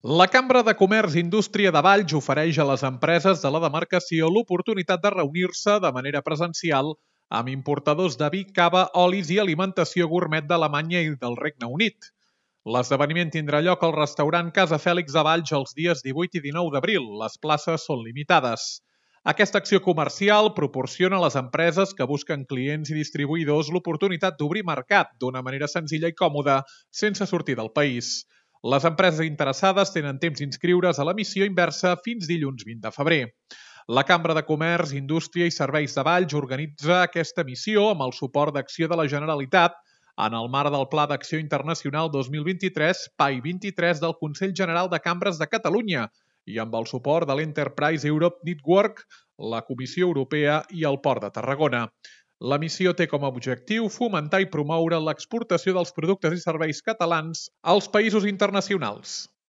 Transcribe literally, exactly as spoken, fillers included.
La Cambra de Comerç i Indústria de Valls ofereix a les empreses de la demarcació l'oportunitat de reunir-se de manera presencial amb importadors de vi, cava, olis i alimentació gourmet d'Alemanya i del Regne Unit. L'esdeveniment tindrà lloc al restaurant Casa Fèlix de Valls els dies divuit i dinou d'abril. Les places són limitades. Aquesta acció comercial proporciona a les empreses que busquen clients i distribuïdors l'oportunitat d'obrir mercat d'una manera senzilla i còmoda, sense sortir del país. Les empreses interessades tenen temps d'inscriure's a la missió inversa fins dilluns vint de febrer. La Cambra de Comerç, Indústria i Serveis de Valls organitza aquesta missió amb el suport d'Acció de la Generalitat en el marc del Pla d'Acció Internacional dos mil vint-i-tres, P A I vint-i-tres del Consell General de Cambres de Catalunya i amb el suport de l'Enterprise Europe Network, la Comissió Europea i el Port de Tarragona. La missió té com a objectiu fomentar i promoure l'exportació dels productes i serveis catalans als països internacionals.